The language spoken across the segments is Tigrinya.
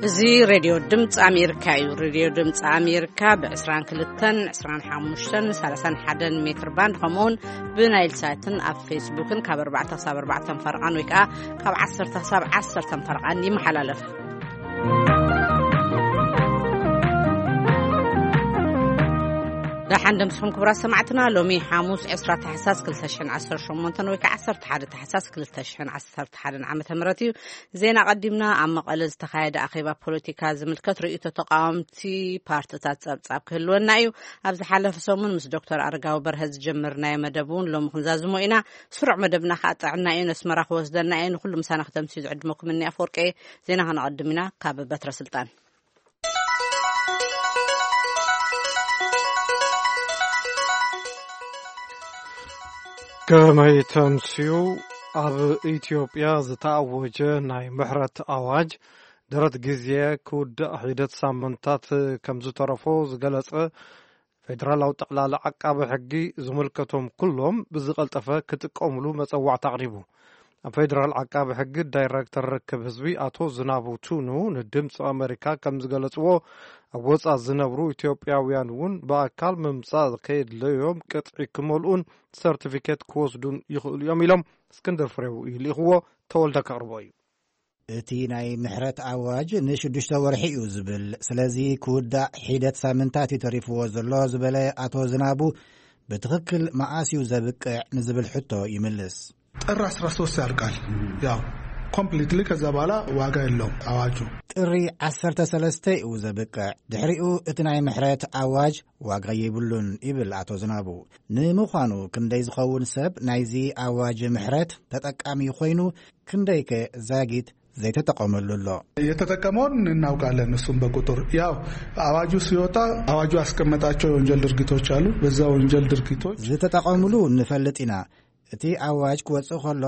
እዚ ሬድዮ ድምፂ ኣሜሪካ እዩ። ሬድዮ ድምፂ ኣሜሪካ ብ22፣ 25፣ 31 ሜትር ባንድ፣ ከምኡውን ብናይል ሳትን ኣብ ፌስቡክን ካብ ኣርባዕተ ክሳብ ኣርባዕተ ፈረቓን ወይ ከዓ ካብ ዓሰርተ ክሳብ ዓሰርተ ፈረቓን ይመሓላለፍ። ደሓን ደምስኹም ክቡራት ሰማዕትና። ሎሚ ሓሙስ ዕስራ ታሕሳስ ክልተ ሽሕን ዓሰርተ ሸሞንተን ወይ ከዓ ዓሰርተ ሓደ ታሕሳስ ክልተ ሽሕን ዓሰርተ ሓደን ዓመተ ምህረት እዩ። ዜና ቀዲምና። ኣብ መቐለ ዝተኻየደ ኣኼባ ፖለቲካ ዝምልከት ርእይቶ ተቃወምቲ ፓርትታት ጸብጻብ ክህልወና እዩ። ኣብ ዝሓለፈ ሰሙን ምስ ዶክተር ኣረጋዊ በርሀ ዝጀመርናዮ መደብ እውን ሎሚ ክንዛዝሞ ኢና። ስሩዕ መደብና ከዓ ጥዕና እዩ። ነስመራ ክወስደና እዩ። ንኩሉ ምሳና ክተምስዩ ዝዕድመኩም እኒ ኣፈወርቂ። ዜና ከነቐድም ኢና። ካብ በትረ ስልጣን። ከመይ ተምስዩ? ኣብ ኢትዮጵያ ዝተኣወጀ ናይ ምሕረት ኣዋጅ ደረት ግዜ ክውዳእ ሒደት ሳምንታት ከም ዝተረፎ ዝገለጸ ፌደራላዊ ጠቕላሊ ዓቃቢ ሕጊ፣ ዝምልከቶም ኩሎም ብዝቐልጠፈ ክጥቀሙሉ መጸዋዕታ ኣቕሪቡ። ኣብ ፌደራል ዓቃቢ ሕጊ ዳይረክተር ርክብ ህዝቢ ኣቶ ዝናቡ ቱኑ ንድምፂ ኣሜሪካ ከም ዝገለፅዎ፣ ኣብ ወፃ ዝነብሩ ኢትዮጵያውያን እውን ብኣካል ምምፃእ ከየድለዮም ቅጥዒ ክመልኡን ሰርቲፊኬት ክወስዱን ይኽእሉ እዮም ኢሎም። እስክንድር ፍሬው እዩ ልኢኽዎ፣ ተወልደ ከቕርቦ እዩ። እቲ ናይ ምሕረት ኣዋጅ ንሽዱሽተ ወርሒ እዩ ዝብል፣ ስለዚ ክውዳእ ሒደት ሳምንታት እዩ ተሪፍዎ ዘሎ ዝበለ ኣቶ ዝናቡ፣ ብትኽክል መኣስ እዩ ዘብቅዕ ንዝብል ሕቶ ይምልስ። ጥር ዓሰርተ ሶስት ያልቃል። ያው ኮምፕሊትሊ ከዛ በኋላ ዋጋ የለውም አዋጁ። ጥሪ ዓሰርተ ሰለስተ እዩ ዘብቅዕ። ድሕሪኡ እቲ ናይ ምሕረት ኣዋጅ ዋጋ የብሉን ይብል ኣቶ ዝናቡ። ንምዃኑ ክንደይ ዝኸውን ሰብ ናይዚ ኣዋጅ ምሕረት ተጠቃሚ ኮይኑ፣ ክንደይከ ዛጊት ዘይተጠቐመሉ ኣሎ? የተጠቀመውን እናውቃለን። እሱም በቁጥር ያው አዋጁ ሲወጣ አዋጁ ያስቀመጣቸው የወንጀል ድርጊቶች አሉ። በዛ ወንጀል ድርጊቶች ዝተጠቐሙሉ ንፈልጥ ኢና። እቲ ኣዋጅ ክወጽእ ከሎ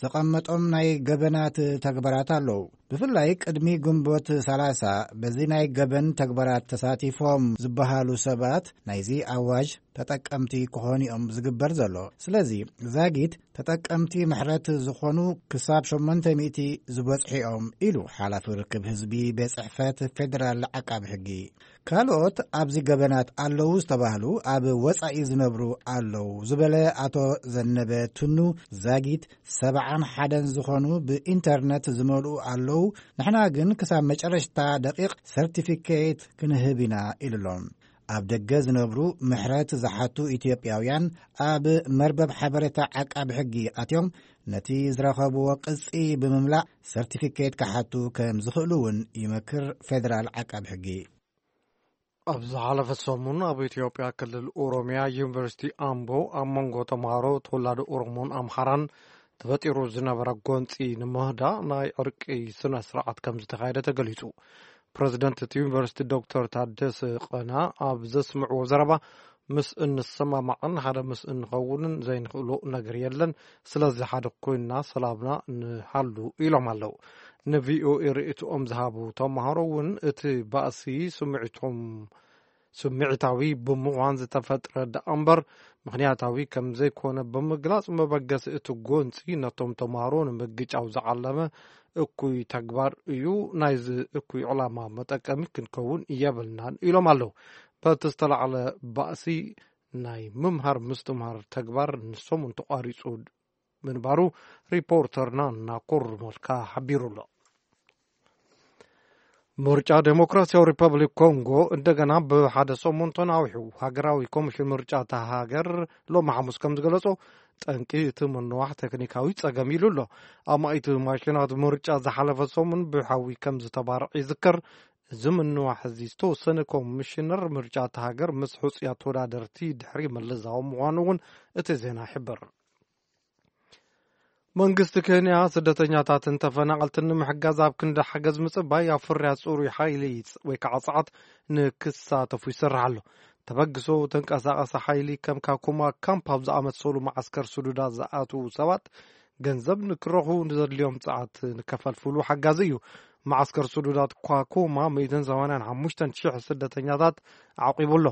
ዘቐመጦም ናይ ገበናት ተግባራት ኣለዉ። ብፍላይ ቅድሚ ግንቦት ሰላሳ በዚ ናይ ገበን ተግባራት ተሳቲፎም ዝበሃሉ ሰባት ናይዚ ኣዋጅ ተጠቀምቲ ክኾኑ እዮም ዝግበር ዘሎ። ስለዚ ዛጊት ተጠቀምቲ ምሕረት ዝኾኑ ክሳብ ሸሞንተ ሚእቲ ዝበጽሑ እዮም ኢሉ ሓላፊ ርክብ ህዝቢ ቤት ጽሕፈት ፌደራል ዓቃቢ ሕጊ። ካልኦት ኣብዚ ገበናት ኣለዉ ዝተባህሉ ኣብ ወጻኢ ዝነብሩ ኣለዉ ዝበለ ኣቶ ዘነበ ቱኑ፣ ዛጊት ሰብዓን ሓደን ዝኾኑ ብኢንተርነት ዝመልኡ ኣለዉ። ንሕና ግን ክሳብ መጨረሽታ ደቂቕ ሰርቲፊኬት ክንህብ ኢና ኢሉ ኣሎ። ኣብ ደገ ዝነብሩ ምሕረት ዝሓቱ ኢትዮጵያውያን ኣብ መርበብ ሓበሬታ ዓቃቢ ሕጊ ኣትዮም ነቲ ዝረኸብዎ ቅጺ ብምምላእ ሰርቲፊኬት ክሓቱ ከም ዝኽእሉ እውን ይመክር ፌደራል ዓቃቢ ሕጊ። ኣብ ዝሓለፈ ሰሙን ኣብ ኢትዮጵያ ክልል ኦሮሚያ ዩኒቨርሲቲ ኣምቦ ኣብ መንጎ ተምሃሮ ተወላዶ ኦሮሞን ኣምሓራን ተፈጢሩ ዝነበረ ጎንፂ ንምህዳእ ናይ ዕርቂ ስነ ስርዓት ከም ዝተኻየደ ተገሊጹ። ፕረዚደንት እቲ ዩኒቨርሲቲ ዶክተር ታደሰ ቀና ኣብ ዘስምዕዎ ዘረባ፣ ምስ እንሰማማዕን ሓደ ምስ እንኸውንን ዘይንኽእሎ ነገር የለን፣ ስለዚ ሓደ ኮይንና ሰላምና ንሃሉ ኢሎም ኣለዉ። ንቪኦኤ ርእይትኦም ዝሃቡ ተምሃሮ እውን እቲ ባእሲ ስምዒቶም ስምዒታዊ ብምዃን ዝተፈጥረ ደኣ እምበር ምኽንያታዊ ከም ዘይኮነ ብምግላጽ፣ መበገሲ እቲ ጎንጺ ነቶም ተምሃሮ ንምግጫው ዝዓለመ እኩይ ተግባር እዩ። ናይዚ እኩይ ዕላማ መጠቀሚ ክንከውን የብልናን ኢሎም ኣለዉ። በቲ ዝተላዕለ ባእሲ ናይ ምምሃር ምስትምሃር ተግባር ንሰሙን ተቋሪጹ ምንባሩ ሪፖርተርና ናኮር ሞልካ ሓቢሩ ኣሎ። ምርጫ ዴሞክራሲያዊ ሪፐብሊክ ኮንጎ እንደገና ብሓደ ሰሙን ተናዊሑ። ሃገራዊ ኮሚሽን ምርጫ እታ ሃገር ሎሚ ሓሙስ ከም ዝገለጾ፣ ጠንቂ እቲ ምንዋሕ ቴክኒካዊ ጸገም ኢሉ ኣሎ። ኣማኢት ማሽናት ምርጫ ዝሓለፈ ሰሙን ብሓዊ ከም ዝተባርዕ ይዝከር። እዚ ምንዋሕ እዚ ዝተወሰነ ኮሚሽነር ምርጫ እታ ሃገር ምስ ሕጹያት ተወዳደርቲ ድሕሪ ምልዛዎም ምዃኑ እውን እቲ ዜና ይሕብር። መንግስቲ ኬንያ ስደተኛታትን ተፈናቐልትን ንምሕጋዝ ኣብ ክንዲ ሓገዝ ምጽባይ ኣብ ፍርያት ጽሩይ ሓይሊ ወይ ከዓ ጸዓት ንክሳተፉ ይሰርሕ ኣሎ። ተበግሶ ተንቀሳቐሲ ሓይሊ ከም ካኩማ ካምፕ ኣብ ዝኣመሰሉ መዓስከር ስዱዳት ዝኣትዉ ሰባት ገንዘብ ንክረኽቡ ንዘድልዮም ጸዓት ንከፈልፍሉ ሓጋዚ እዩ። መዓስከር ስዱዳት ኳኩማ ሚእትን ሰማንያን ሓሙሽተን ሽሕ ስደተኛታት ኣዕቂቡ ኣሎ።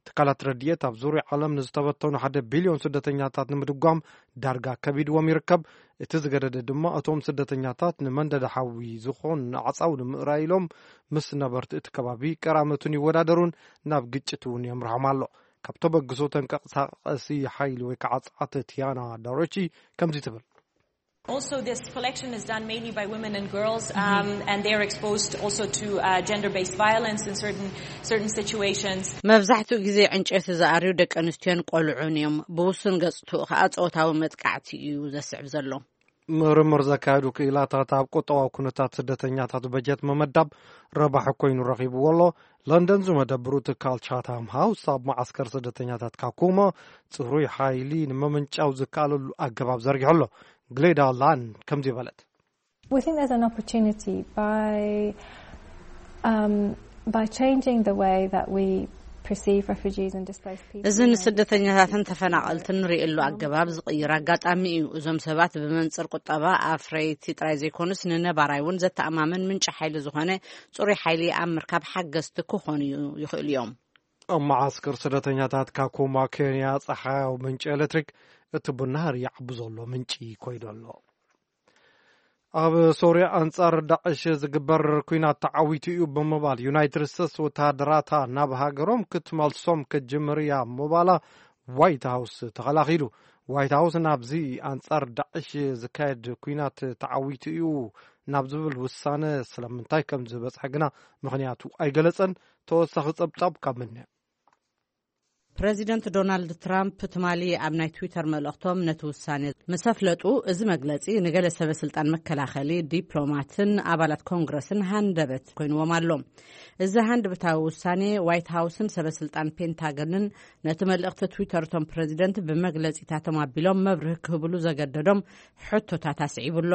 ትካላት ረድኤት ኣብ ዙርያ ዓለም ንዝተበተኑ ሓደ ቢልዮን ስደተኛታት ንምድጓም ዳርጋ ከቢድዎም ይርከብ። እቲ ዝገደደ ድማ እቶም ስደተኛታት ንመንደዲ ሓዊ ዝኾን ኣዕፃው ንምእራይ ኢሎም ምስ ነበርቲ እቲ ከባቢ ቀራመቱን ይወዳደሩን ናብ ግጭት እውን የምርሖም ኣሎ። ካብ ተበግሶ ተንቀሳቐሲ ሓይሊ ወይ ከዓ ፃዕተ ቲያና ዳሮቺ ከምዚ ትብል። Also, this collection is done mainly by women and girls, um, and they are exposed also to uh, gender-based violence in certain certain situations. መብዛሕትኡ ግዜ ዕንጨይቲ ዝኣርዩ ደቂ ኣንስትዮን ቆልዑን እዮም። ብውሱን ገጽትኡ ከኣ ጾታዊ መጥቃዕቲ እዩ ዘስዕብ ዘሎ። ምርምር ዘካየዱ ክኢላታት ኣብ ቁጠባዊ ኩነታት ስደተኛታት በጀት መመዳብ ረባሒ ኮይኑ ረኺብዎ ኣሎ። ለንደን ዝመደብሩ ትካል ቻታም ሃውስ ኣብ መዓስከር ስደተኛታት ካኩማ ጽሩይ ሓይሊ ንምምንጫው ዝከኣለሉ ኣገባብ ዘርጊሑ ኣሎ። ግሌዳ ላን ከምዚ በለት። We think there's an opportunity by um, by changing the way that we perceive refugees and displaced people. እዚ ንስደተኛታትን ተፈናቐልትን ንርእየሉ ኣገባብ ዝቕይር ኣጋጣሚ እዩ። እዞም ሰባት ብመንጽር ቁጠባ ኣፍረይቲ ጥራይ ዘይኮኑስ ንነባራይ እውን ዘተኣማምን ምንጪ ሓይሊ ዝኾነ ጽሩይ ሓይሊ ኣብ ምርካብ ሓገዝቲ ክኾኑ ይኽእሉ እዮም። ኣብ መዓስከር ስደተኛታት ካኩማ ኬንያ ጸሓያዊ ምንጪ ኤሌክትሪክ እቲ ብናህሪ ይዓቢ ዘሎ ምንጪ ኮይኑ ኣሎ። ኣብ ሶርያ ኣንጻር ዳዕሽ ዝግበር ኲናት ተዓዊቱ እዩ ብምባል ዩናይትድ ስቴትስ ወተሃደራታ ናብ ሃገሮም ክትመልሶም ክትጅምር እያ ምባላ ዋይት ሃውስ ተኸላኺሉ። ዋይት ሃውስ ናብዚ ኣንጻር ዳዕሽ ዝካየድ ኲናት ተዓዊቱ እዩ ናብ ዝብል ውሳነ ስለምንታይ ከም ዝበጽሐ ግና ምኽንያቱ ኣይገለጸን። ተወሳኺ ጸብጻብ ካብ ምንያ ፕረዚደንት ዶናልድ ትራምፕ ትማሊ ኣብ ናይ ትዊተር መልእኽቶም ነቲ ውሳኔ ምስ ኣፍለጡ፣ እዚ መግለጺ ንገለ ሰበ ስልጣን መከላኸሊ፣ ዲፕሎማትን ኣባላት ኮንግረስን ሃንደበት ኮይንዎም ኣሎ። እዚ ሃንደበታዊ ውሳኔ ዋይት ሃውስን ሰበ ስልጣን ፔንታገንን ነቲ መልእኽቲ ትዊተር እቶም ፕረዚደንት ብመግለጺታቶም ኣቢሎም መብርሂ ክህብሉ ዘገደዶም ሕቶታት ኣስዒቡ ኣሎ።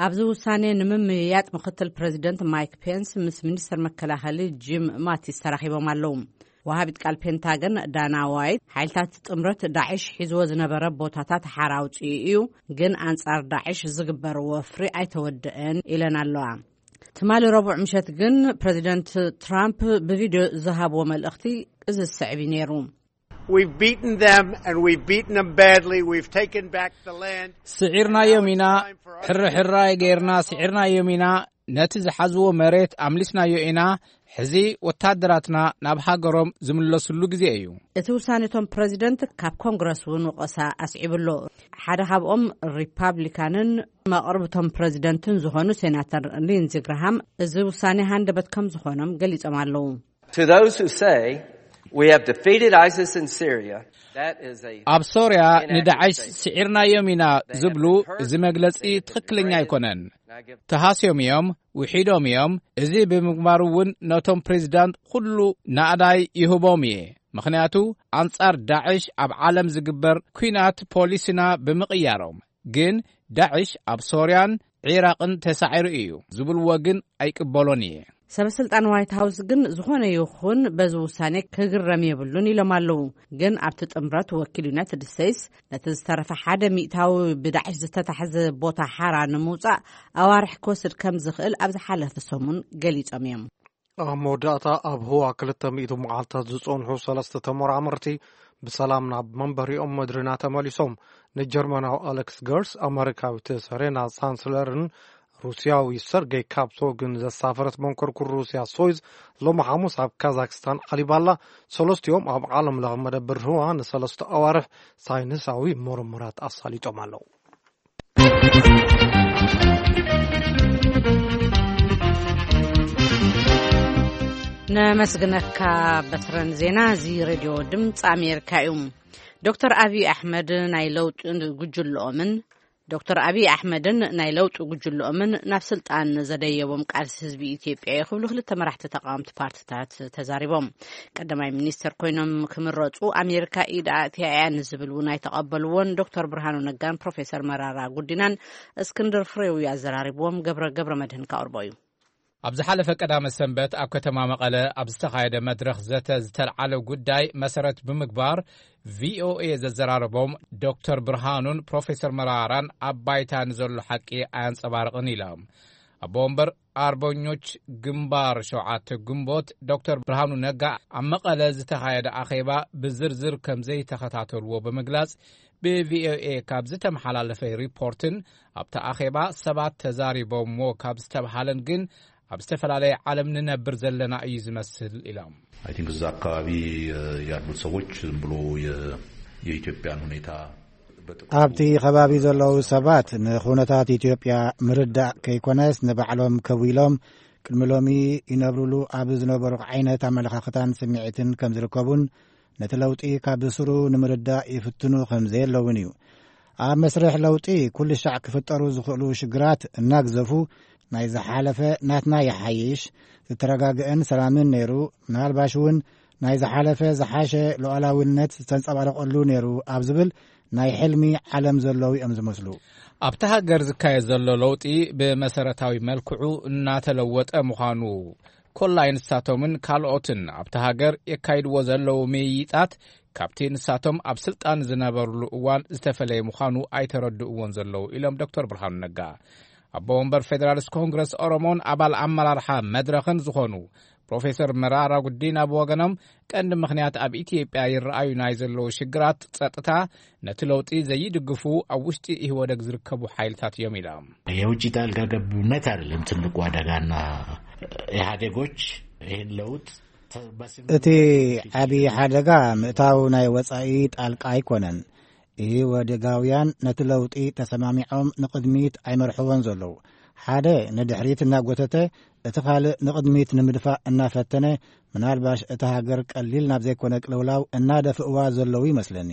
ኣብዚ ውሳኔ ንምምይያጥ ምክትል ፕረዚደንት ማይክ ፔንስ ምስ ሚኒስትር መከላኸሊ ጂም ማቲስ ተራኺቦም ኣለዉ። ወሃቢት ቃል ፔንታገን ዳና ዋይት፣ ሓይልታት ጥምረት ዳዕሽ ሒዝዎ ዝነበረ ቦታታት ሓራ ኣውጺኡ እዩ፣ ግን ኣንጻር ዳዕሽ ዝግበር ወፍሪ ኣይተወደአን ኢለን ኣለዋ። ትማሊ ረቡዕ ምሸት ግን ፕረዚደንት ትራምፕ ብቪድዮ ዝሃብዎ መልእኽቲ እዚ ዝስዕብ እዩ ነይሩ። We've beaten them and we've beaten them badly. We've taken back the land. ስዒርናዮም ኢና። ሕርሕራይ ጌርና ስዒርናዮም ኢና። ነቲ ዝሓዝዎ መሬት ኣምሊስናዮ ኢና። ሕዚ ወታደራትና ናብ ሃገሮም ዝምለስሉ ግዜ እዩ። እቲ ውሳኔ እቶም ፕረዚደንት ካብ ኮንግረስ እውን ወቐሳ ኣስዒቡ ኣሎ። ሓደ ካብኦም ሪፓብሊካንን መቕርብቶም ፕረዚደንትን ዝኾኑ ሴናተር ሊንዚ ግርሃም እዚ ውሳኔ ሃንደበት ከም ዝኾኖም ገሊጾም ኣለዉ። To those who say we have defeated ISIS in Syria, that is a ኣብ ሶርያ ንዳዕሽ ስዒርናዮም ኢና ዝብሉ፣ እዚ መግለጺ ትኽክለኛ ኣይኮነን። ተሃስዮም እዮም፣ ውሒዶም እዮም። እዚ ብምግባሩ እውን ነቶም ፕሬዚዳንት ኩሉ ናእዳይ ይህቦም እየ። ምኽንያቱ ኣንጻር ዳዕሽ ኣብ ዓለም ዝግበር ኲናት ፖሊሲና ብምቕያሮም። ግን ዳዕሽ ኣብ ሶርያን ዒራቕን ተሳዒሩ እዩ ዝብልዎ ግን ኣይቅበሎን እየ። ሰበ ስልጣን ዋይት ሃውስ ግን ዝኾነ ይኹን በዚ ውሳኔ ክግረም የብሉን ኢሎም ኣለዉ። ግን ኣብቲ ጥምረት ወኪል ዩናይትድ ስቴትስ ነቲ ዝተረፈ ሓደ ሚእታዊ ብዳዕሽ ዝተታሕዘ ቦታ ሓራ ንምውጻእ ኣዋርሕ ክወስድ ከም ዝኽእል ኣብ ዝሓለፈ ሰሙን ገሊጾም እዮም። ኣብ መወዳእታ ኣብ ህዋ ክልተ ሚእቲ መዓልታት ዝጸንሑ ሰለስተ ተመራመርቲ ብሰላም ናብ መንበሪኦም ምድሪ እናተመሊሶም፣ ንጀርመናዊ ኣሌክስ ገርስ፣ ኣመሪካዊት ሰሬና ሳንስለርን ሩስያዊ ሰርጌይ ካፕሶግን ዘሳፈረት መንኮርኩር ሩስያ ሶዩዝ ሎሚ ሓሙስ ኣብ ካዛክስታን ዓሊባላ። ሰለስቲኦም ኣብ ዓለም ለኸ መደብር ህዋ ንሰለስተ ኣዋርሕ ሳይንሳዊ ምርምራት ኣሳሊጦም ኣለዉ። ነመስግነካ በትረን። ዜና እዚ ሬድዮ ድምፂ ኣሜሪካ እዩ። ዶክተር ኣብይ ኣሕመድ ናይ ለውጢ ጉጅልኦምን ዶክተር ኣብይ ኣሕመድን ናይ ለውጢ ጉጅልኦምን ናብ ስልጣን ዘደየቦም ቃልሲ ህዝቢ ኢትዮጵያ እዩ ክብሉ ክልተ መራሕቲ ተቃወምቲ ፓርትታት ተዛሪቦም። ቀዳማይ ሚኒስተር ኮይኖም ክምረፁ ኣሜሪካ ኢድ ኣእትያ እያ ንዝብል እውን ኣይተቐበልዎን። ዶክተር ብርሃኑ ነጋን ፕሮፌሰር መራራ ጉዲናን እስክንድር ፍሬው እዩ ኣዘራሪብዎም። ገብረ ገብረ መድህን ካቕርቦ እዩ። ኣብ ዝሓለፈ ቀዳመ ሰንበት ኣብ ከተማ መቐለ ኣብ ዝተኻየደ መድረኽ ዘተ ዝተልዓለ ጉዳይ መሰረት ብምግባር ቪኦኤ ዘዘራረቦም ዶክተር ብርሃኑን ፕሮፌሰር መራራን ኣብ ባይታ ንዘሎ ሓቂ ኣየንጸባርቕን ኢሎም። ኣቦ ወንበር ኣርበኞች ግንባር ሸውዓተ ግንቦት ዶክተር ብርሃኑ ነጋ ኣብ መቐለ ዝተኻየደ ኣኼባ ብዝርዝር ከም ዘይተኸታተልዎ ብምግላጽ፣ ብቪኦኤ ካብ ዝተመሓላለፈ ሪፖርትን ኣብቲ ኣኼባ ሰባት ተዛሪቦምዎ ካብ ዝተብሃለን ግን ኣብ ዝተፈላለየ ዓለም ንነብር ዘለና እዩ ዝመስል ኢሎም። I think እዛ አካባቢ ያሉት ሰዎች ዝም ብሎ የኢትዮጵያን ሁኔታ ኣብቲ ከባቢ ዘለዉ ሰባት ንኹነታት ኢትዮጵያ ምርዳእ ከይኮነስ ንባዕሎም ከዊሎም ቅድሚ ሎሚ ይነብሩሉ ኣብ ዝነበሩ ዓይነት ኣመለኻኽታን ስምዒትን ከም ዝርከቡን ነቲ ለውጢ ካብ ስሩ ንምርዳእ ይፍትኑ ከም ዘየለውን እዩ። ኣብ መስርሕ ለውጢ ኩሉ ሻዕ ክፍጠሩ ዝኽእሉ ሽግራት እናግዘፉ ናይ ዝሓለፈ ናትና ይሓይሽ፣ ዝተረጋግአን ሰላምን ነይሩ፣ ምናልባሽ እውን ናይ ዝሓለፈ ዝሓሸ ሉዓላውነት ዝተንጸባረቐሉ ነይሩ ኣብ ዝብል ናይ ሕልሚ ዓለም ዘለዉ እዮም ዝመስሉ። ኣብቲ ሃገር ዝካየድ ዘሎ ለውጢ ብመሰረታዊ መልክዑ እናተለወጠ ምዃኑ ኮላይ ንሳቶምን ካልኦትን ኣብቲ ሃገር የካይድዎ ዘለዉ ምይይጣት ካብቲ ንሳቶም ኣብ ስልጣን ዝነበርሉ እዋን ዝተፈለየ ምዃኑ ኣይተረድእዎን ዘለዉ ኢሎም ዶክተር ብርሃኑ ነጋ። ኣቦ ወንበር ፌዴራሊስት ኮንግረስ ኦሮሞን ኣባል ኣመራርሓ መድረኽን ዝኾኑ ፕሮፌሰር መራራ ጉዲና ብወገኖም ቀንዲ ምኽንያት ኣብ ኢትዮጵያ ይረኣዩ ናይ ዘለዉ ሽግራት ጸጥታ ነቲ ለውጢ ዘይድግፉ ኣብ ውሽጢ ኢህወደግ ዝርከቡ ሓይልታት እዮም ኢሎም። የውጭ ጣልቃ ገብነት አይደለም ትልቁ አደጋና ኢህአዴጎች ይህን ለውጥ እቲ ዓብዪ ሓደጋ ምእታው ናይ ወጻኢ ጣልቃ ኣይኮነን። ኢህወደጋውያን ነቲ ለውጢ ተሰማሚዖም ንቕድሚት ኣይመርሕዎን ዘለዉ። ሓደ ንድሕሪት እናጎተተ እቲ ካልእ ንቕድሚት ንምድፋእ እናፈተነ ምናልባሽ እታ ሃገር ቀሊል ናብ ዘይኮነ ቅልውላው እናደፍእዋ ዘለዉ ይመስለኒ።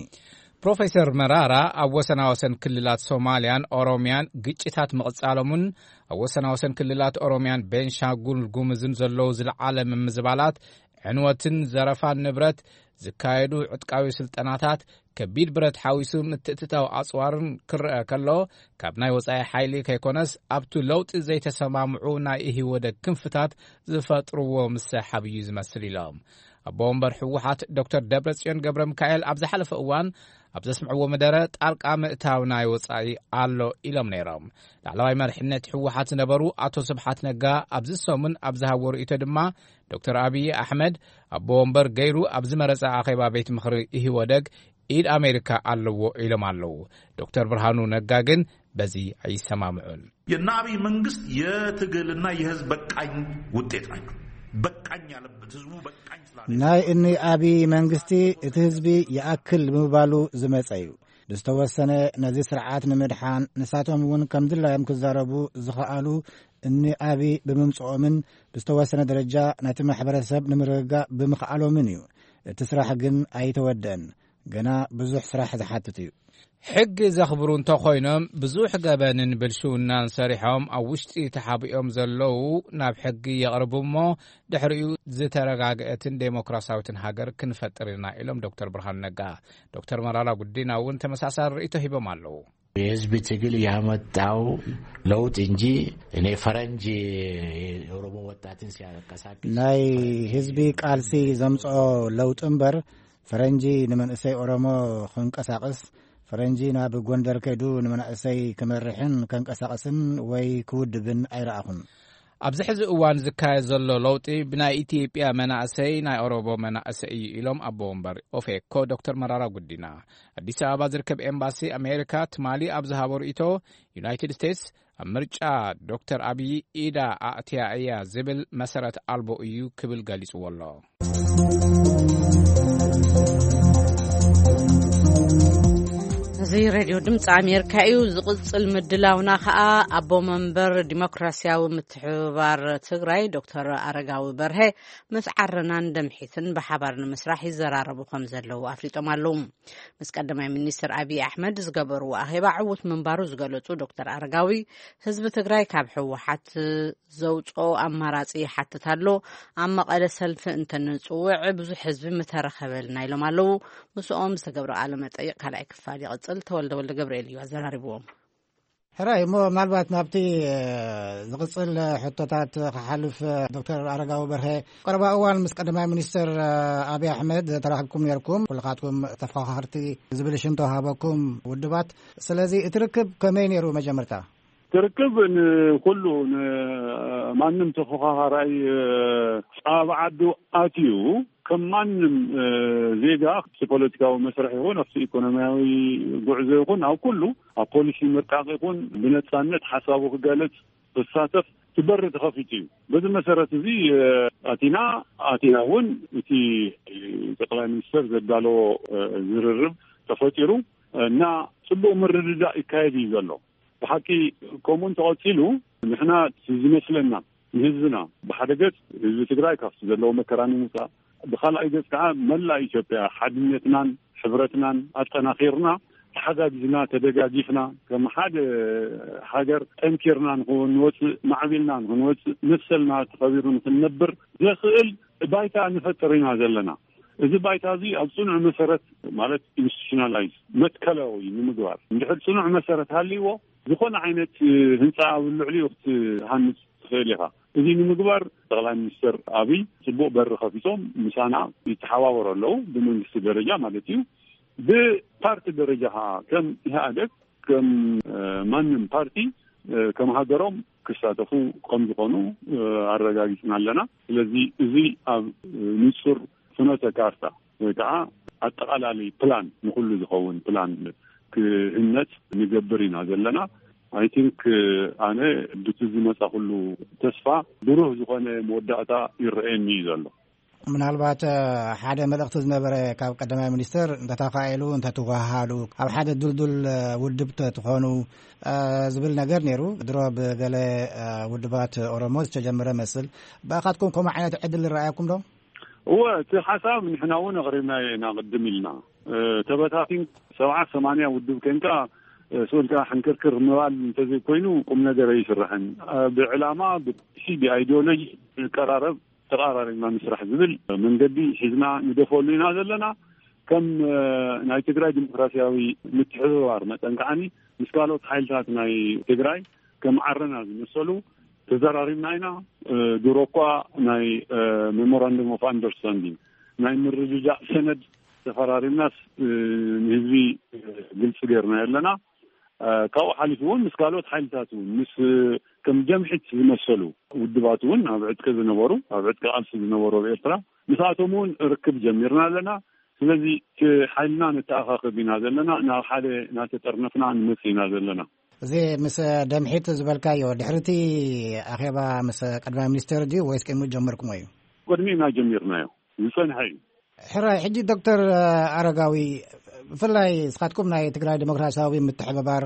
ፕሮፌሰር መራራ ኣብ ወሰናወሰን ክልላት ሶማልያን ኦሮምያን ግጭታት ምቕጻሎምን ኣብ ወሰናወሰን ክልላት ኦሮምያን ቤንሻንጉል ጉምዝን ዘለዉ ዝለዓለ ምምዝባላት ዕንወትን ዘረፋን ንብረት ዝካየዱ ዕጥቃዊ ስልጠናታት ከቢድ ብረት ሓዊሱ ምትእትታው ኣጽዋርን ክረአ ከሎ ካብ ናይ ወጻኢ ሓይሊ ከይኮነስ ኣብቱ ለውጢ ዘይተሰማምዑ ናይ ኢህወደግ ክንፍታት ዝፈጥርዎ ምሰሓብ እዩ ዝመስል ኢሎም። ኣቦ ወንበር ህወሓት ዶክተር ደብረጽዮን ገብረ ሚካኤል ኣብ ዝሓለፈ እዋን ኣብ ዘስምዕዎ መደረ ጣልቃ ምእታው ናይ ወጻኢ ኣሎ ኢሎም ነይሮም። ላዕለዋይ መሪሕነት ህወሓት ዝነበሩ ኣቶ ስብሓት ነጋ ኣብዚ ሰሙን ኣብ ዝሃብዎ ርእይቶ ድማ ዶክተር ኣብዪ ኣሕመድ ኣቦ ወንበር ገይሩ ኣብ ዝመረጸ ኣኼባ ቤት ምኽሪ ኢህወደግ ኢድ ኣሜሪካ ኣለዎ ኢሎም ኣለዉ። ዶክተር ብርሃኑ ነጋ ግን በዚ ኣይሰማምዑን። የእነ አብይ መንግስት የትግልና የህዝብ በቃኝ ውጤት ናቸው። በቃኝ ያለበት ህዝቡ በቃኝ ስላለ ናይ እኒ ኣብዪ መንግስቲ እቲ ህዝቢ ይኣክል ብምባሉ ዝመጸ እዩ። ብዝተወሰነ ነዚ ስርዓት ንምድሓን ንሳቶም እውን ከም ድላዮም ክዛረቡ ዝኸኣሉ እኒ ኣብዪ ብምምጽኦምን ብዝተወሰነ ደረጃ ነቲ ማሕበረሰብ ንምርግጋእ ብምኽኣሎምን እዩ። እቲ ስራሕ ግን ኣይተወደአን። ገና ብዙሕ ስራሕ ዝሓትት እዩ። ሕጊ ዘኽብሩ እንተኾይኖም ብዙሕ ገበንን ብልሽውናን ሰሪሖም ኣብ ውሽጢ ተሓቢኦም ዘለዉ ናብ ሕጊ የቕርቡ እሞ ድሕሪኡ ዝተረጋግአትን ዴሞክራሲያዊትን ሃገር ክንፈጥር ኢና ኢሎም ዶክተር ብርሃኑ ነጋ። ዶክተር መራራ ጉዲና እውን ተመሳሳሊ ርእይቶ ሂቦም ኣለዉ። የህዝብ ትግል ያመጣው ለውጥ እንጂ እኔ ፈረንጅ የኦሮሞ ወጣትን ሲያንቀሳቅስ ናይ ህዝቢ ቃልሲ ዘምጽኦ ለውጢ እምበር ፈረንጂ ንመንእሰይ ኦሮሞ ክንቀሳቕስ ፈረንጂ ናብ ጎንደር ከይዱ ንመናእሰይ ክመርሕን ከንቀሳቕስን ወይ ክውድብን ኣይረኣኹን። ኣብዚ ሕዚ እዋን ዝካየድ ዘሎ ለውጢ ብናይ ኢትዮጵያ መናእሰይ ናይ ኦሮሞ መናእሰይ እዩ ኢሎም ኣቦ ወንበር ኦፌኮ ዶክተር መራራ ጉዲና። ኣዲስ ኣበባ ዝርከብ ኤምባሲ ኣሜሪካ ትማሊ ኣብ ዝሃቦ ርእይቶ ዩናይትድ ስቴትስ ኣብ ምርጫ ዶክተር ኣብዪ ኢዳ ኣእትያ እያ ዝብል መሰረት ኣልቦ እዩ ክብል ገሊጽዎ ኣሎ። እዚ ሬድዮ ድምፂ ኣሜሪካ እዩ። ዝቕፅል ምድላውና ከዓ ኣቦ መንበር ዲሞክራሲያዊ ምትሕብባር ትግራይ ዶክተር ኣረጋዊ በርሀ ምስ ዓረናን ደምሒትን ብሓባር ንምስራሕ ይዘራረቡ ከም ዘለዉ ኣፍሊጦም ኣለዉ። ምስ ቀዳማይ ሚኒስትር ኣብይ ኣሕመድ ዝገበርዎ ኣኼባ ዕዉት ምንባሩ ዝገለፁ ዶክተር ኣረጋዊ ህዝቢ ትግራይ ካብ ህወሓት ዘውፅኦ ኣማራፂ ይሓትት ኣሎ። ኣብ መቐለ ሰልፊ እንተንፅውዕ ብዙሕ ህዝቢ ምተረኸበልና ኢሎም ኣለዉ። ምስኦም ዝተገብረ ቃለ መጠይቕ ካልኣይ ክፋል ይቕፅል። ተወልደ ወልደ ገብርኤል እዩ ኣዘራሪብዎም። ሕራይ እሞ ምናልባት ናብቲ ዝቕፅል ሕቶታት ክሓልፍ ዶክተር ኣረጋዊ በርሀ ቀረባ እዋን ምስ ቀዳማይ ሚኒስትር ኣብይ ኣሕመድ ተራኺብኩም ነርኩም ኩልኻትኩም ተፈኻኸርቲ ዝብል ሽም ተዋሃበኩም ውድባት ስለዚ እቲ ርክብ ከመይ ነይሩ መጀመርታ ትርክብ ንኩሉ ንማንም ተፎኻኻራይ ኣብ ዓዱ ኣትዩ ከም ማንም ዜጋ ፖለቲካዊ መስርሕ ይኹን ኣብቲ ኢኮኖሚያዊ ጉዕዞ ይኹን ኣብ ኩሉ ኣብ ፖሊሲ ምርቃቕ ይኹን ብነፃነት ሓሳቡ ክገልጽ ክሳተፍ እቲ በሪ ተኸፊቱ እዩ። በዚ መሰረት እዚ ኣቲና ኣቲና እውን እቲ ጠቅላይ ሚኒስትር ዘዳለዎ ዝርርብ ተፈጢሩ እና ጽቡቅ ምርድዳእ ይካየድ እዩ ዘሎ። ብሓቂ ከምኡ እንተቐፂሉ ንሕና ዝመስለና ንህዝብና ብሓደ ገፅ ህዝቢ ትግራይ ካብቲ ዘለዎ መከራ ንምውፃእ፣ ብካልኣይ ገፅ ከዓ መላእ ኢትዮጵያ ሓድነትናን ሕብረትናን ኣጠናኺርና ተሓጋጊዝና ተደጋጊፍና ከም ሓደ ሃገር ጠንኪርና ንክንወፅእ ማዕቢልና ንክንወፅእ መሰልና ተኸቢሩ ንክንነብር ዘኽእል ባይታ ንፈጥር ኢና ዘለና። እዚ ባይታ እዚ ኣብ ፅኑዕ መሰረት ማለት ኢንስቲቱሽናላይዝ መትከላዊ ንምግባር እንድሕር ፅኑዕ መሰረት ሃልይዎ ዝኾነ ዓይነት ህንፃ ኣብ ልዕሊኡ ክትሃንፅ ትኽእል ኢኻ። እዚ ንምግባር ጠቅላይ ሚኒስትር ኣብይ ፅቡቅ በሪ ከፊቶም ምሳና ይተሓባበሩ ኣለዉ ብመንግስቲ ደረጃ ማለት እዩ። ብፓርቲ ደረጃ ከዓ ከም ኢህኣደግ ከም ማንም ፓርቲ ከም ሃገሮም ክሳተፉ ከም ዝኾኑ ኣረጋጊፅና ኣለና። ስለዚ እዚ ኣብ ንፁር ፍኖተ ካርታ ወይ ከዓ ኣጠቃላሊ ፕላን ንኩሉ ዝኸውን ፕላን ክህነፅ ንገብር ኢና ዘለና። ኣይ ቲንክ ኣነ ብቲ ዝመፃ ኩሉ ተስፋ ብሩህ ዝኾነ መወዳእታ ይረአየኒ እዩ ዘሎ። ምናልባት ሓደ መልእኽቲ ዝነበረ ካብ ቀዳማይ ሚኒስትር እንተተኻኢሉ እንተትወሃሃዱ ኣብ ሓደ ድልዱል ውድብ ትኾኑ ዝብል ነገር ነይሩ። ድሮ ብገለ ውድባት ኦሮሞ ዝተጀመረ መስል ብኣኻትኩም ከምኡ ዓይነት ዕድል ይረኣየኩም ዶ? እወ፣ እቲ ሓሳብ ንሕና እውን ኣቕሪብናዮ ኢና ቅድም ኢልና። ተበታቲን ሰብዓ ሰማንያ ውድብ ኮይንካ ስኡልካ ሕንክርክር ምባል እንተዘይኮይኑ ቁም ነገር ኣይስራሕን። ብዕላማ ብሲ ብኣይዲዮሎጂ ንቀራረብ ተቐራሪብና ንስራሕ ዝብል መንገዲ ሒዝና ንደፈሉ ኢና ዘለና። ከም ናይ ትግራይ ዲሞክራሲያዊ ምትሕብባር መጠን ከዓኒ ምስ ካልኦት ሓይልታት ናይ ትግራይ ከም ዓረና ዝመሰሉ ተዘራሪብና ኢና። ድሮ እኳ ናይ ሜሞራንደም ኦፍ ኣንደርስታንዲንግ ናይ ምርድዳእ ሰነድ ተፈራሪምናስ ንህዝቢ ግልፂ ገይርና ኣለና። ካብኡ ሓሊፉ እውን ምስ ካልኦት ሓይልታት እውን ምስ ከም ጀምሒት ዝመሰሉ ውድባት እውን ኣብ ዕጥቂ ዝነበሩ ኣብ ዕጥቂ ቃልሲ ዝነበሩ ኣብ ኤርትራ ምስኣቶም እውን ርክብ ጀሚርና ኣለና። ስለዚ እቲ ሓይልና ነተኣኻኽብ ኢና ዘለና፣ ናብ ሓደ እናተጠርነፍና ንመጽእ ኢና ዘለና። እዚ ምስ ደምሒት ዝበልካዮ ድሕሪቲ ኣኼባ ምስ ቀዳማይ ሚኒስትር ድዩ ወይስ ቅድሚ ጀመርኩሞ እዩ? ቅድሚና ጀሚርናዮ ዝጸንሐ እዩ። ሕራይ ሕጂ ዶክተር ኣረጋዊ ብፍላይ ንስኻትኩም ናይ ትግራይ ዲሞክራሲያዊ ምትሕብባር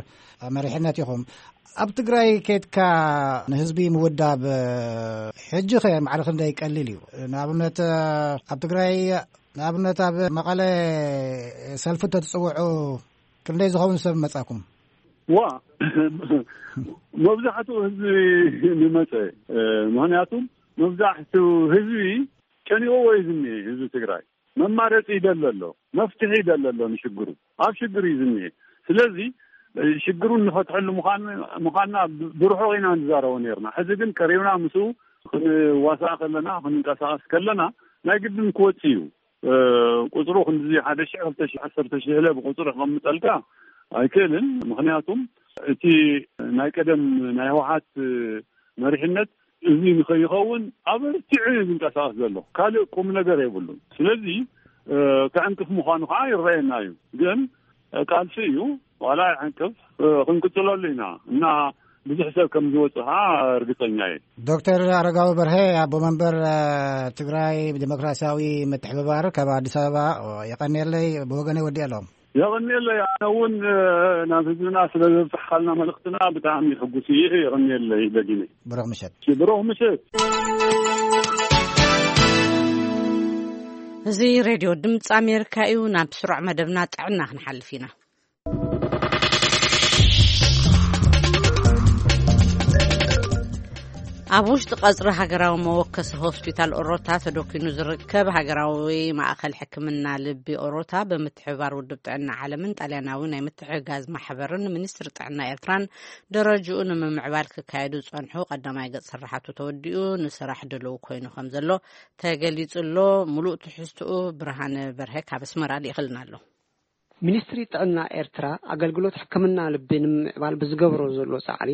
መሪሕነት ኢኹም። ኣብ ትግራይ ኬድካ ንህዝቢ ምውዳብ ሕጂ ኸ ማዕረ ክንደይ ቀሊል እዩ? ንኣብነት ኣብ ትግራይ ንኣብነት ኣብ መቐለ ሰልፊ ተትፅውዑ ክንደይ ዝኸውን ሰብ መፃኩም? ዋ መብዛሕትኡ ህዝቢ ንመፀ። ምክንያቱም መብዛሕትኡ ህዝቢ ጨኒቕዎ እዩ ዝኒሀ። ህዝቢ ትግራይ መማረፂ ይደለ ኣሎ፣ መፍትሒ ይደለ ኣሎ ንሽግሩ። ኣብ ሽግር እዩ ዝኒሀ። ስለዚ ሽግሩን ንፈትሐሉ ምዃንና ብርሑቕ ኢና ንዛረቦ ነርና። ሕዚ ግን ቀሪብና ምስኡ ክንዋሳእ ከለና ክንንቀሳቐስ ከለና ናይ ግድን ክወፅ እዩ። ቁፅሩ ክንዚ ሓደ ሽሕ ክልተ ሽሕ ዓሰርተ ሽሕ ኢለ ብቁፅሪ ከቐምጠልካ ኣይክእልን። ምክንያቱም እቲ ናይ ቀደም ናይ ህወሓት መሪሕነት እዚ ንከይኸውን ኣበርቲዑ እዩ ዝንቀሳቀስ ዘሎ። ካልእ ቁም ነገር የብሉን። ስለዚ ከዕንቅፍ ምዃኑ ከዓ ይረአየና እዩ። ግን ቃልሲ እዩ። ዋላ ይዕንቅፍ ክንቅፅለሉ ኢና እና ብዙሕ ሰብ ከም ዝወፅእ ከዓ እርግፀኛ እየ። ዶክተር ኣረጋዊ በርሀ ኣቦ መንበር ትግራይ ዲሞክራሲያዊ ምትሕብባር ካብ ኣዲስ ኣበባ፣ የቀንየለይ። ብወገነይ ወዲእ ኣለኹም። የቐንየለይ። ኣነ እውን ናብ ህዝብና ስለ ዘብፅሕካልና መልእኽትና ብጣዕሚ ሕጉስ እየ። የቐንየለይ ደጊመ። ብሩኽ ምሸት። ብሩኽ ምሸት። እዚ ሬድዮ ድምፂ ኣሜሪካ እዩ። ናብ ስሩዕ መደብና ጥዕና ክንሓልፍ ኢና። ኣብ ውሽጢ ቀፅሪ ሃገራዊ መወከሲ ሆስፒታል ኦሮታ ተደኪኑ ዝርከብ ሃገራዊ ማእኸል ሕክምና ልቢ ኦሮታ ብምትሕብባር ውድብ ጥዕና ዓለምን ጣልያናዊ ናይ ምትሕግጋዝ ማሕበርን ሚኒስትሪ ጥዕና ኤርትራን ደረጅኡ ንምምዕባል ክካየዱ ዝፀንሑ ቀዳማይ ገፅ ስራሓቱ ተወዲኡ ንስራሕ ድልው ኮይኑ ከም ዘሎ ተገሊፁ ኣሎ። ሙሉእ ትሕዝትኡ ብርሃነ በርሀ ካብ ኣስመራ ልኢኽልና ኣሎ። ሚኒስትሪ ጥዕና ኤርትራ ኣገልግሎት ሕክምና ልቢ ንምምዕባል ብዝገብሮ ዘሎ ጻዕሪ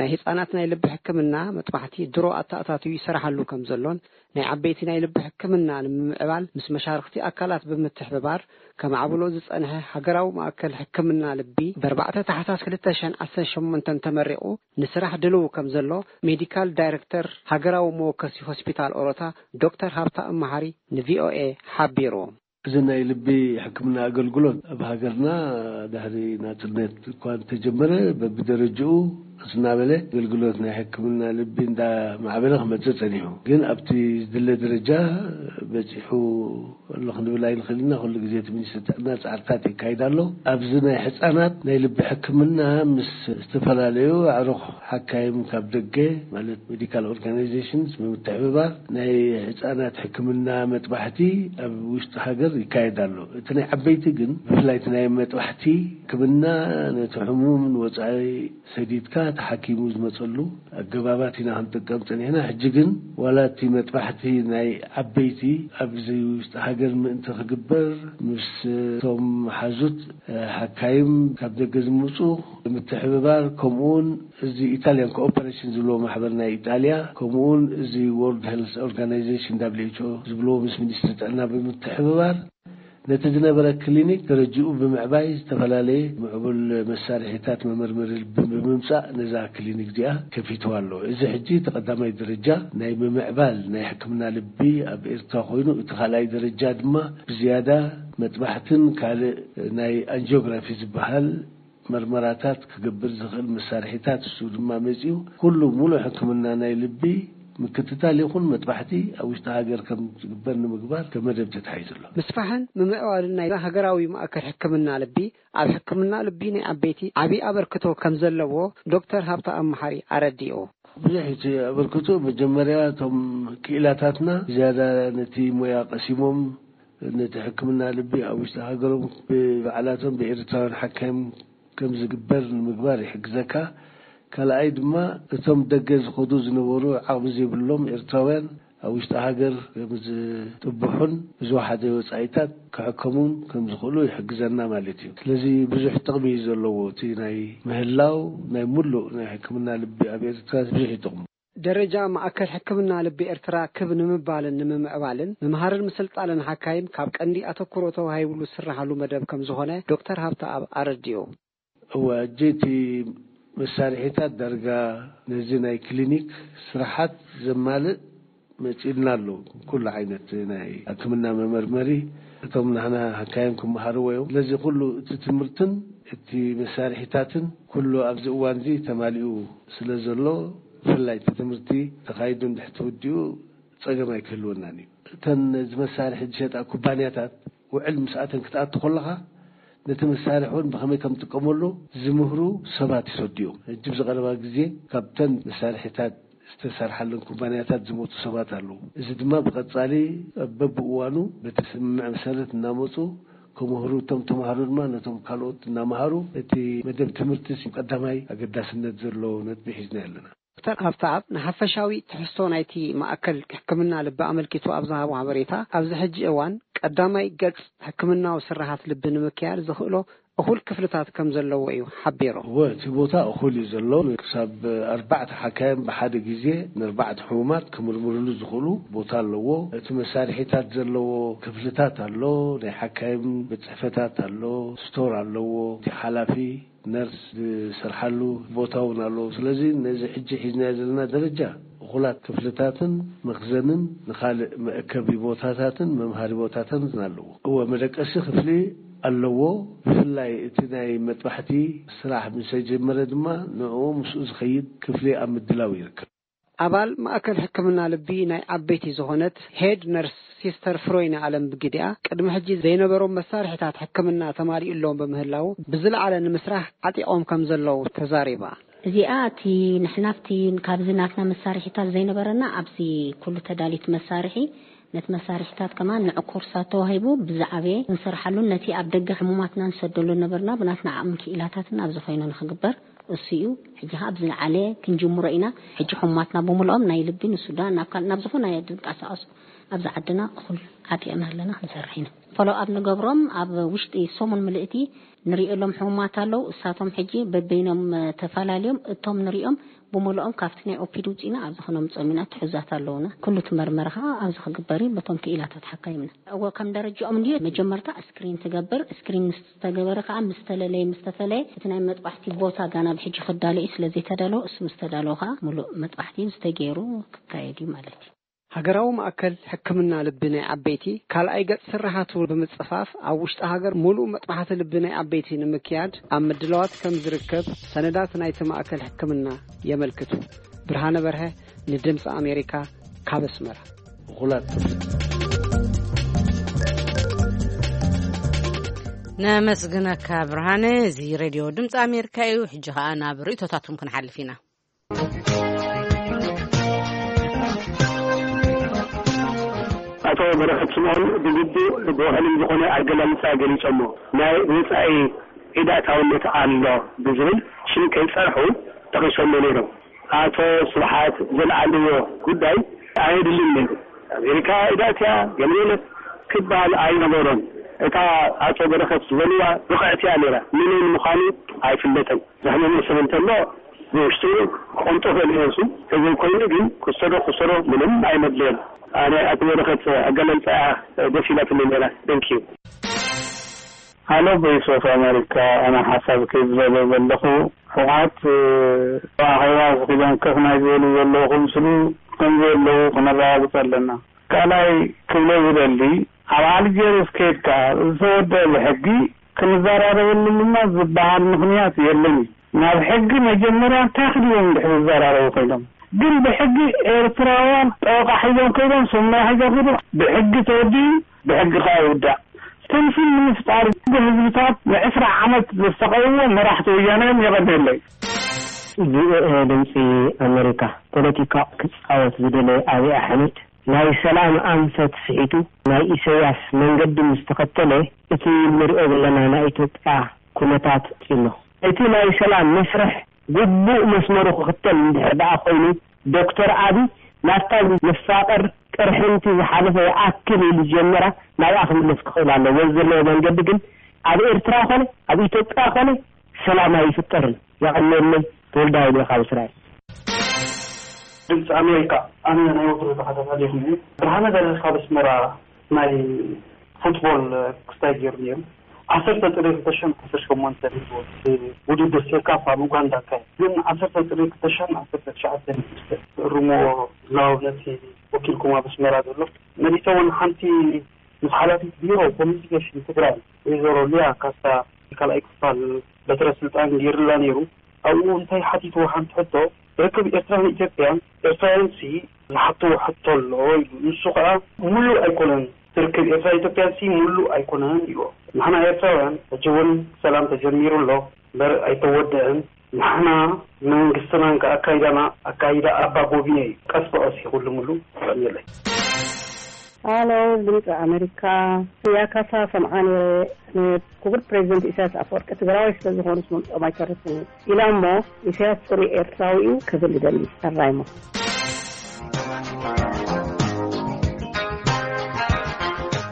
ናይ ህጻናት ናይ ልቢ ሕክምና መጥባሕቲ ድሮ ኣተኣታትዩ ይሰራሓሉ ከም ዘሎን ናይ ዓበይቲ ናይ ልቢ ሕክምና ንምምዕባል ምስ መሻርኽቲ ኣካላት ብምትሕብባር ከማዕብሎ ዝጸንሐ ሃገራዊ ማእከል ሕክምና ልቢ ብ4 ታሕሳስ ክልተ ሽሕን ዓሰርተ ሸሞንተን ተመሪቑ ንስራሕ ድልው ከም ዘሎ ሜዲካል ዳይረክተር ሃገራዊ መወከሲ ሆስፒታል ኦሮታ ዶክተር ሃብታ እመሃሪ ንቪኦኤ ሓቢሩ። እዚ ናይ ልቢ ሕክምና ኣገልግሎት ኣብ ሃገርና ድሕሪ ናጽነት እኳ እንተጀመረ በብደረጅኡ እናበለ ኣገልግሎት ናይ ሕክምና ልቢ እንዳማዕበለ ክመጽእ ጸኒሑ። ግን ኣብቲ ዝድለ ደረጃ በጺሑ ኣሎ ክንብል ኣይንኽእል ኢና። ኩሉ ግዜ እቲ ሚኒስትሪ ጥዕና ጻዕርታት የካይድ ኣሎ። ኣብዚ ናይ ሕጻናት ናይ ልቢ ሕክምና ምስ ዝተፈላለዩ ኣዕሩኽ ሓካይም ካብ ደገ ማለት ሜዲካል ኦርጋናይዜሽንስ ብምትሕብባር ናይ ህጻናት ሕክምና መጥባሕቲ ኣብ ውሽጢ ሃገር ይካየድ ኣሎ። እቲ ናይ ዓበይቲ ግን ብፍላይ እቲ ናይ መጥባሕቲ ሕክምና ነቲ ሕሙም ንወጻኢ ሰዲድካ ተሓኪሙ ዝመጸሉ ኣገባባት ኢና ክንጥቀም ጸኒሕና። ሕጂ ግን ዋላ እቲ መጥባሕቲ ናይ ዓበይቲ ኣብዚ ውሽጢ ሃገር ምእንቲ ክግበር ምስ እቶም ሓዙት ሓካይም ካብ ደገ ዝምጹ ምትሕብባር ከምኡውን እዚ ኢታልያን ኮኦፐሬሽን ዝብልዎ ማሕበር ናይ ኢጣልያ ከምኡውን እዚ ወርልድ ሄልስ ኦርጋናይዜሽን ዳብሊው ኤች ኦ ዝብልዎ ምስ ሚኒስትሪ ጥዕና ብምትሕብባር ነቲ ዝነበረ ክሊኒክ ደረጅኡ ብምዕባይ ዝተፈላለየ ምዕቡል መሳርሒታት መመርመሪ ልቢ ብምምጻእ ነዛ ክሊኒክ እዚኣ ከፊትዋ ኣሎ። እዚ ሕጂ እቲ ቀዳማይ ደረጃ ናይ ምምዕባል ናይ ሕክምና ልቢ ኣብ ኤርትራ ኮይኑ እቲ ካልኣይ ደረጃ ድማ ብዝያዳ መጥባሕትን ካልእ ናይ ኣንጂዮግራፊ ዝበሃል መርመራታት ክገብር ዝኽእል መሳርሒታት እሱ ድማ መጺኡ ኩሉ ሙሉእ ሕክምና ናይ ልቢ ምክትታል ይኹን መጥባሕቲ ኣብ ውሽጢ ሃገር ከም ዝግበር ንምግባር ከም መደብ ተታሒዙ ኣሎ። ምስፋሕን ምምዕባልን ናይ ሃገራዊ ማእከል ሕክምና ልቢ ኣብ ሕክምና ልቢ ናይ ዓበይቲ ዓቢ ኣበርክቶ ከም ዘለዎ ዶክተር ሃብታ ኣመሓሪ ኣረዲኡ። ብዙሕ እቲ ኣበርክቶ መጀመርያ እቶም ክኢላታትና ዝያዳ ነቲ ሞያ ቀሲሞም ነቲ ሕክምና ልቢ ኣብ ውሽጢ ሃገሮም ብባዕላቶም ብኤርትራውያን ሓካይም ከም ዝግበር ንምግባር ይሕግዘካ። ካልኣይ ድማ እቶም ደገ ዝኸዱ ዝነበሩ ዓቕሚ ዘይብሎም ኤርትራውያን ኣብ ውሽጢ ሃገር ከም ዝጥብሑን ብዝወሓደ ወጻኢታት ክሕከሙን ከም ዝኽእሉ ይሕግዘና ማለት እዩ። ስለዚ ብዙሕ ጥቕሚ እዩ ዘለዎ። እቲ ናይ ምህላው ናይ ሙሉእ ናይ ሕክምና ልቢ ኣብ ኤርትራ ብዙሕ ይጠቕሙ። ደረጃ ማእከል ሕክምና ልቢ ኤርትራ ክብ ንምባልን ንምምዕባልን ምምሃርን ምስልጣንን ሓካይም ካብ ቀንዲ ኣተኩሮ ተዋሂብሉ ዝስራሓሉ መደብ ከም ዝኾነ ዶክተር ሃብተኣብ ኣረዲኡ። እወ፣ ሕጂ እቲ መሳርሒታት ዳርጋ ነዚ ናይ ክሊኒክ ስራሓት ዘማልእ መጺእልና ኣሎ። ኩሉ ዓይነት ናይ ሕክምና መመርመሪ እቶም ናህና ሓካይም ክመሃርዎ እዮም። ስለዚ ኩሉ እቲ ትምህርትን እቲ መሳርሒታትን ኩሉ ኣብዚ እዋን እዚ ተማሊኡ ስለ ዘሎ ብፍላይ እቲ ትምህርቲ ተኻይዱ እንድሕር ተወዲኡ ጸገም ኣይክህልወናን እዩ። እተን እዚ መሳርሒ ዝሸጣ ኩባንያታት ውዕል ምስኣተን ክትኣቱ ከለኻ ነቲ መሳርሒ እውን ብኸመይ ከም ትጥቀመሉ ዝምህሩ ሰባት ይሰዱ እዮም። ሕጂ ብዝቐረባ ግዜ ካብተን መሳርሒታት ዝተሰርሓለን ኩባንያታት ዝመፁ ሰባት ኣለዉ። እዚ ድማ ብቐፃሊ በብእዋኑ በቲ ስምምዕ መሰረት እናመፁ ክምህሩ፣ እቶም ተምሃሮ ድማ ነቶም ካልኦት እናምሃሩ እቲ መደብ ትምህርቲ ቀዳማይ ኣገዳስነት ዘለዎ ነጥቢ ሒዝና ኣለና። ዶክተር ሃብተኣብ ንሓፈሻዊ ትሕዝቶ ናይቲ ማእከል ሕክምና ልቢ ኣመልኪቱ ኣብ ዝሃቦ ሓበሬታ፣ ኣብዚ ሕጂ እዋን ቀዳማይ ገጽ ሕክምናዊ ስርሓት ልቢ ንምክያድ ዘኽእሎ እኹል ክፍልታት ከም ዘለዎ እዩ ሓቢሩ። እወ፣ እቲ ቦታ እኹል እዩ ዘሎ። ክሳብ ኣርባዕተ ሓካይም ብሓደ ግዜ ንኣርባዕተ ሕሙማት ክምርምርሉ ዝኽእሉ ቦታ ኣለዎ። እቲ መሳርሒታት ዘለዎ ክፍልታት ኣሎ። ናይ ሓካይም ቤት ጽሕፈታት ኣሎ፣ ስቶር ኣለዎ። እቲ ሓላፊ ነርስ ዝሰርሓሉ ቦታ እውን ኣለዎ። ስለዚ ነዚ ሕጂ ሒዝናዮ ዘለና ደረጃ እኹላት ክፍልታትን መኽዘንን ንኻልእ መእከቢ ቦታታትን መምሃሪ ቦታታትን ኣለዎ። እወ፣ መደቀሲ ክፍሊ ኣለዎ። ብፍላይ እቲ ናይ መጥባሕቲ ስራሕ ምስ ጀመረ ድማ ንዕኡ ምስኡ ዝኸይድ ክፍሊ ኣብ ምድላው ይርከብ። ኣባል ማእከል ሕክምና ልቢ ናይ ዓበይቲ ዝኾነት ሄድ ነርስ ሲስተር ፍሮይነ ኣለም ብግዲኣ፣ ቅድሚ ሕጂ ዘይነበሮም መሳርሒታት ሕክምና ተማሊኡሎም ብምህላዉ ብዝለዓለ ንምስራሕ ዓጢቖም ከም ዘለዉ ተዛሪባ። እዚኣ እቲ ንሕና ኣብቲ ካብዚ ናትና መሳርሒታት ዘይነበረና ኣብዚ ኩሉ ተዳሊት መሳርሒ ነቲ መሳርሒታት ከማን ንዑ ኮርሳት ተዋሂቡ ብዝዓበየ ክንሰርሓሉን ነቲ ኣብ ደገ ሕሙማትና ንሰደሉ ነበርና ብናትና ዓቕምን ክኢላታትን ኣብዚ ኮይኑ ንኽግበር እሱ እዩ። ሕጂ ኸዓ ብዝለዓለ ክንጅምሮ ኢና። ሕጂ ሕሙማትና ብምልኦም ናይ ልቢ ንሱዳን ናብ ካልእ ናብ ዝኾነ ድንቀሳቐሱ ኣብዚ ዓድና እኹል ዓጢቕና ኣለና፣ ክንሰርሕ ኢና። ፎሎ ኣብ ንገብሮም ኣብ ውሽጢ ሰሙን ምልእቲ ንሪእሎም ሕሙማት ኣለዉ። እሳቶም ሕጂ በበይኖም ተፈላለዮም እቶም ንሪኦም ብምልኦም ካብቲ ናይ ኦፒዲ ውፅኢና ኣብዚ ክነምፅኦም ኢና። ትሑዛት ኣለዉና። ኩሉ እቲ መርመራ ከዓ ኣብዚ ክግበር እዩ። በቶም ክኢላታት ሓካይምና እዎ ከም ደረጃኦም እንድዩ። መጀመርታ ስክሪን ትገብር። ስክሪን ምስ ተገበረ ከዓ ምስ ተለለየ ምስ ተፈለየ እቲ ናይ መጥባሕቲ ቦታ ጋና ብሕጂ ክዳሎ እዩ። ስለዘይተዳለወ እሱ ምስ ተዳለወ ከዓ ሙሉእ መጥባሕቲ ዝተገይሩ ክካየድ እዩ ማለት እዩ። ሃገራዊ ማእከል ሕክምና ልቢ ናይ ዓበይቲ ካልኣይ ገጽ ስርሓቱ ብምጽፋፍ ኣብ ውሽጢ ሃገር ሙሉእ መጥባሕቲ ልቢ ናይ ዓበይቲ ንምክያድ ኣብ ምድላዋት ከም ዝርከብ ሰነዳት ናይቲ ማእከል ሕክምና የመልክቱ። ብርሃነ በርሀ ንድምፂ ኣሜሪካ ካብ ኣስመራ። እኹላት ነመስግነካ ብርሃነ። እዚ ሬድዮ ድምፂ ኣሜሪካ እዩ። ሕጂ ከዓ ናብ ርእቶታቱም ክንሓልፍ ኢና። ኣቶ በረኸት ስምኦን ብግቡእ ብውሕሉል ዝኾነ ኣገላልፃ ገሊፆሞ። ናይ ወፃኢ ዒዳእታውነት ኣሎ ብዝብል ሽም ከይፀርሑ ጠቒሶሞ ነይሮም። ኣቶ ስብሓት ዘልዓልዎ ጉዳይ ኣየድልን ነይሩ። ኣሜሪካ ዒዳእትያ ገለመለ ክበሃል ኣይነበሮን። እታ ኣቶ በረኸት ዝበልዋ ብቕዕቲ እያ ነይራ። ምንን ምዃኑ ኣይፍለጥን። ዘሕመመ ሰብ እንተሎ ብውሽጡ ክቐምጦ ክእል እዩ። እሱ ተዘይኮይኑ ግን ክሰዶ ክሰዶ ምንም ኣይመድለየን። ኣነ ኣቲ በረኸት ኣገላልፃ እያ ደስ ኢላትኒ ነይራ። ደንኪ እዩ። ሃሎ ቮይስ ኦፍ ኣሜሪካ፣ ኣነ ሓሳብ ከይዝበለ ዘለኹ ሕወሓት ኣኼባ ኣኺቦም ከፍ ናይ ዝበሉ ዘለዉ ክምስሉ ከም ዘለዉ ክነረጋግፅ ኣለና። ካልኣይ ክብሎ ዝደሊ ኣብ ኣልጀርስ ከይድካ ዝተወደአ ብሕጊ ክንዘራረበሉ ድማ ዝበሃል ምኽንያት የለን እዩ። ናብ ሕጊ መጀመርያ እንታይ ክድዎም ድሕሪ ዝዘራረቡ ኮይኖም ግን ብሕጊ ኤርትራውያን ጠበቃ ሒዞም ከይዶም ሰማይ ሒዞም ከይዶም ብሕጊ ተወዲኡ ብሕጊ ከዓ ይውዳእ። ትምስል ንምፍጣር ህዝብታት ንዕስራ ዓመት ዘሰቃይዎ መራሕቲ ወያነ እዮም። የቐንየለይ። ቪኦኤ ድምፂ ኣመሪካ ፖለቲካ ክፃወት ዝደለየ ኣብይ ኣሕመድ ናይ ሰላም ኣንፈት ስሒቱ ናይ ኢሰያስ መንገዲ ምስ ተኸተለ እቲ ንሪኦ ዘለና ናይ ኢትዮጵያ ኩነታት ኣሎ። እቲ ናይ ሰላም መስርሕ ግቡእ መስመሩ ክኽተል እንድሕር ደኣ ኮይኑ ዶክተር ኣብይ ናብታ መፋቕር ቅርሕንቲ ዝሓለፈ ይኣክል ኢሉ ዝጀመራ ናብኣ ክምለስ ክኽእል ኣለዎ። በዚ ዘለዎ መንገዲ ግን ኣብ ኤርትራ ኮነ ኣብ ኢትዮጵያ ኮነ ሰላም ኣይፍጠርን። የቐንየለይ። ተወልደ ሃይለ ካብ እስራኤል። ድምፂ ኣሜሪካ ኣነ ናይ ወትሩ ተኸታታሊኹም እየ። ብርሃነ በርሀ ካብ ኣስመራ ናይ ፉትቦል ክስታይ ገይሩ ነይሩ። ዓሰርተ ጥሪ ክልተ ሽሕን ዓሰርተ ሸሞንተን ውድድር ሴካፋ ኣብ ኡጋንዳ ኣካየድ። ግን ዓሰርተ ጥሪ ክልተ ሽሕን ዓሰርተ ትሽዓተን እርምዎ ዝላወብ ነቲ ወኪልኩም ኣብ ኣስመራ ዘሎ መሊሰ እውን ሓንቲ ምስ ሓላፊት ቢሮ ኮሚኒኬሽን ትግራይ ወይዘሮ ሊያ ካሳ ካልኣይ ክፋል በትረ ስልጣን ገይርላ ነይሩ። ኣብኡ እንታይ ሓቲትዎ ሓንቲ ሕቶ ርክብ ኤርትራን ኢትዮጵያን ኤርትራውያን ሲ ዝሓትዎ ሕቶ ኣሎ ኢሉ። ንሱ ከዓ ሙሉእ ኣይኮነን እቲ ርክብ ኤርትራ ኢትዮጵያን ሲ ሙሉእ ኣይኮነን ኢልዎ። ንሕና ኤርትራውያን ሕጂ እውን ሰላም ተጀሚሩ ኣሎ እምበር ኣይተወደአን። ንሕና መንግስትናን ከዓ ኣካይዳና ኣካይዳ ኣባ ጎቢነ እዩ። ቀስ ብቐስ ይኹልምሉ። ቀኒለይ። ሃሎ ድምፂ ኣሜሪካ። ያካሳ ሰምዓ ነይረ። ንክቡር ፕሬዚደንት ኢሳያስ ኣፈወርቂ ትግራዋይ ስለዝኾኑስ ምምፅኦም ኣይተርፍን እዩ ኢላ እሞ ኢሳያስ ፅሩይ ኤርትራዊ እዩ ክብል ይደሊ። ኣራይሞ።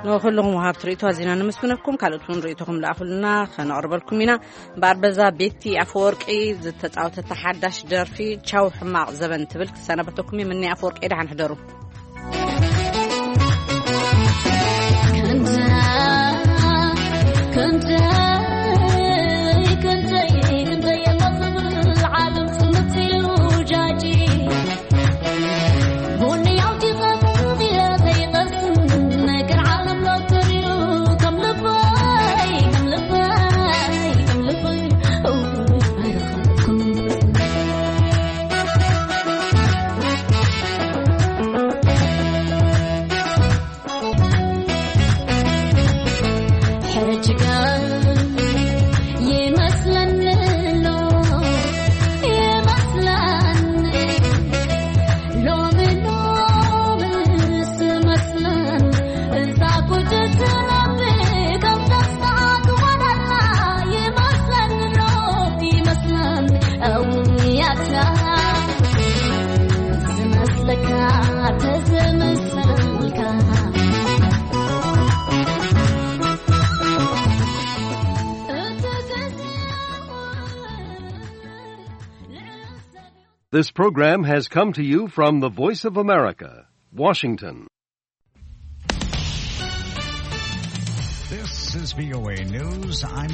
ንኹልኹም ወሃብቲ ርእይቶ ኣዚና ነመስግነኩም። ካልኦት እውን ርእይቶኹም ለኣኹልና ከነቕርበልኩም ኢና። እምበኣር በዛ ቤቲ ኣፈወርቂ ዝተፃወተታ ሓዳሽ ደርፊ ቻው ሕማቕ ዘበን ትብል ክሰናበተኩም እየ። ምኒ ኣፈወርቂ ደሓን ሕደሩ። This program has come to you from the Voice of America, Washington. This is V O A News. I'm